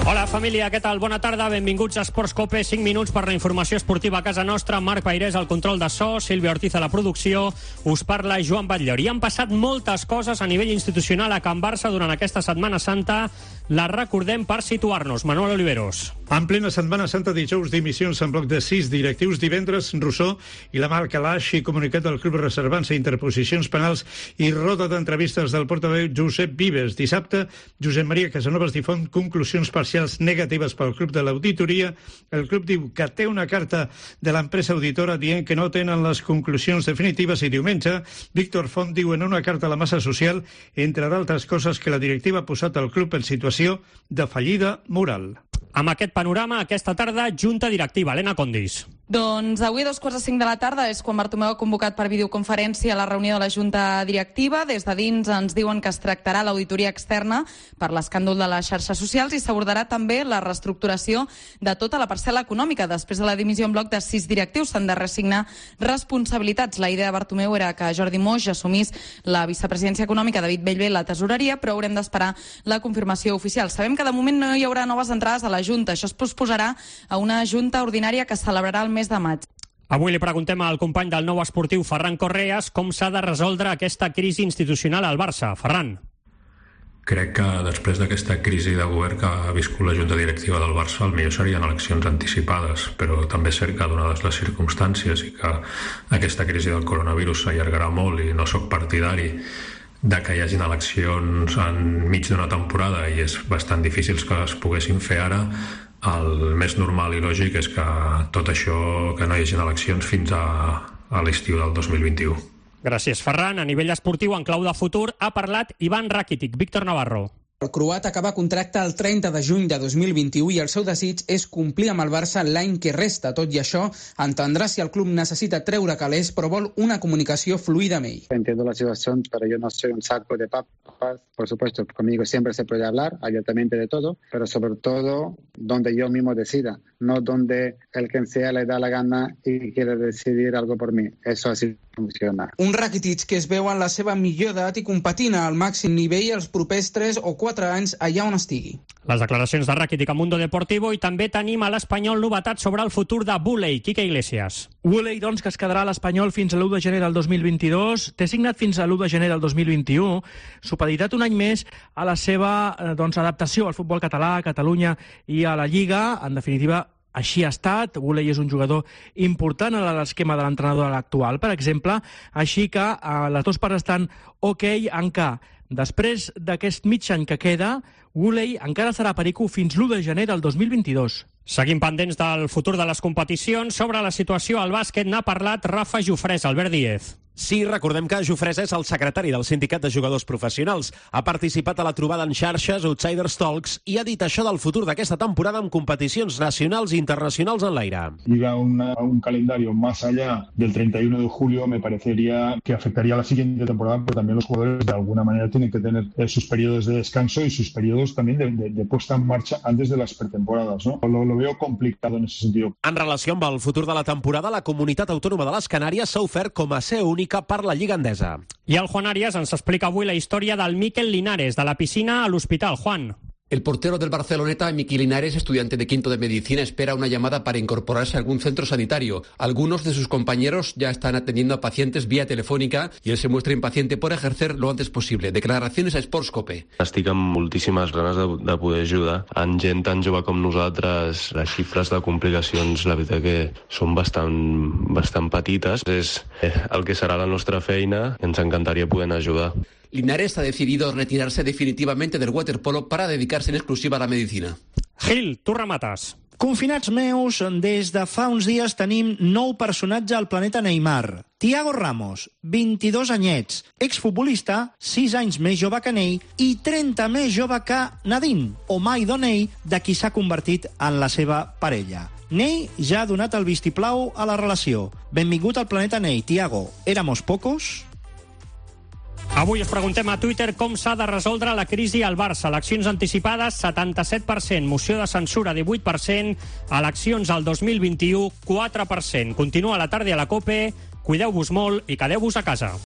Hola família, què tal? Bona tarda, benvinguts a Esports Cope, 5 minuts per la informació esportiva a casa nostra. Marc Pairés al control de so, Sílvia Ortiz a la producció, us parla Joan Batllor. I han passat moltes coses a nivell institucional a Can Barça durant aquesta Setmana Santa. La recordem per situar-nos. Manuel Oliveros. En plena Setmana Santa, dijous dimissions en bloc de 6 directius, divendres Rousseau i la Mar Calaix i comunicat del club reservant-se interposicions penals i roda d'entrevistes del portaveu Josep Vives. Dissabte, Josep Maria Casanovas difon conclusions parcials negatives pel club de l'auditoria. El club diu que té una carta de l'empresa auditora dient que no tenen les conclusions definitives i diumenge Víctor Font diu en una carta a la massa social, entre d'altres coses, que la directiva ha posat el club en situació de fallida moral. Amb aquest panorama, aquesta tarda, Junta Directiva. Helena Condis. Doncs avui a 2:45 de la tarda és quan Bartomeu ha convocat per videoconferència la reunió de la Junta Directiva. Des de dins ens diuen que es tractarà l'auditoria externa per l'escàndol de les xarxes socials i s'abordarà també la reestructuració de tota la parcel·la econòmica. Després de la dimissió en bloc de 6 directius s'han de reassignar responsabilitats. La idea de Bartomeu era que Jordi Moix assumís la vicepresidència econòmica, David Bellver la tesoreria, però haurem d'esperar la confirmació oficial. Sabem que de moment no hi haurà noves entrades a la Junta. Això es posposarà a una Junta ordinària que celebrarà el mes de maig. Avui li preguntem al company del Nou Esportiu, Ferran Correas, com s'ha de resoldre aquesta crisi institucional al Barça. Ferran. Crec que després d'aquesta crisi de govern que ha viscut la Junta Directiva del Barça, el millor serien eleccions anticipades, però també és cert que, donades les circumstàncies i que aquesta crisi del coronavirus s'allargarà molt i no sóc partidari de que hi hagin eleccions enmig d'una temporada i és bastant difícil que es poguessin fer ara, el més normal i lògic és que tot això, que no hi hagin eleccions fins a l'estiu del 2021. Gràcies, Ferran. A nivell esportiu, en clau de futur, ha parlat Ivan Rakitic. Víctor Navarro. El croat acaba contracte el 30 de juny de 2021 i el seu desig és complir amb el Barça l'any que resta. Tot i això, entendrà si el club necessita treure calés, però vol una comunicació fluida amb ell. Entiendo la situación, pero yo no soy un saco de papas. Por supuesto, conmigo siempre se puede hablar abiertamente de todo, pero sobre todo donde yo mismo decida, no donde el quien sea le da la gana y quiere decidir algo por mí. Eso así funciona. Un Rakitic que es veu en la seva millor edat i competint al màxim nivell els propers 3 o 4 anys allà on estigui. Les declaracions de Rakitic a Mundo Deportivo i també tenim a l'Espanyol novetats sobre el futur de Bouley. Quique Iglesias. Bouley, doncs, que es quedarà a l'Espanyol fins a l'1 de gener del 2022. Té signat fins a l'1 de gener del 2021. Supeditat un any més a la seva adaptació al futbol català, a Catalunya i a la Lliga. En definitiva, així ha estat. Bouley és un jugador important a l'esquema de l'entrenador actual, per exemple, així que les dues parts estan ok en què després d'aquest mig any que queda, Bouley encara serà perico fins l'1 de gener del 2022. Seguim pendents del futur de les competicions. Sobre la situació al bàsquet n'ha parlat Rafa Jofresa. Albert Díez. Sí, recordem que Jofresa és el secretari del Sindicat de Jugadors Professionals. Ha participat a la trobada en xarxes Outsiders Talks i ha dit això del futur d'aquesta temporada amb competicions nacionals i internacionals en l'aire. Ir a un calendario más allá del 31 de julio me parecería que afectaría a la siguiente temporada, pero también los jugadores de alguna manera tienen que tener sus periodos de descanso y sus periodos también de puesta en marcha antes de las pretemporadas, ¿no? Lo veo complicado en ese sentido. En relació amb el futur de la temporada, la Comunitat Autònoma de les Canàries s'ha ofert com a seu única per la Lliga Endesa. I el Juan Arias ens explica avui la història del Mikel Linares, de la piscina a l'hospital. Juan. El portero del Barceloneta, Miki Linares, estudiante de quinto de medicina, espera una llamada para incorporarse a algún centro sanitario. Algunos de sus compañeros ya están atendiendo a pacientes vía telefónica y él se muestra impaciente por ejercer lo antes posible. Declaraciones a Sports Cope. Estic amb moltíssimes ganes de poder ajudar. En gent tan jove com nosaltres, les xifres de complicacions, la veritat que són bastant petites. És el que serà la nostra feina i ens encantaria poder ajudar. Linares ha decidido retirarse definitivamente del waterpolo para dedicarse en exclusiva a la medicina. Gil, tu remates. Confinats meus, des de fa uns dies tenim nou personatge al planeta Neymar. Thiago Ramos, 22 anyets, exfutbolista, 6 anys més jove que Ney i 30 més jove que Nadine, o Maido Ney, de qui s'ha convertit en la seva parella. Ney ja ha donat el vistiplau a la relació. Benvingut al planeta Ney, Thiago. Éramos pocos? Avui us preguntem a Twitter com s'ha de resoldre la crisi al Barça. Eleccions anticipades, 77%. Moció de censura, 18%. Eleccions al 2021, 4%. Continua la tarda a la COPE. Cuideu-vos molt i quedeu-vos a casa.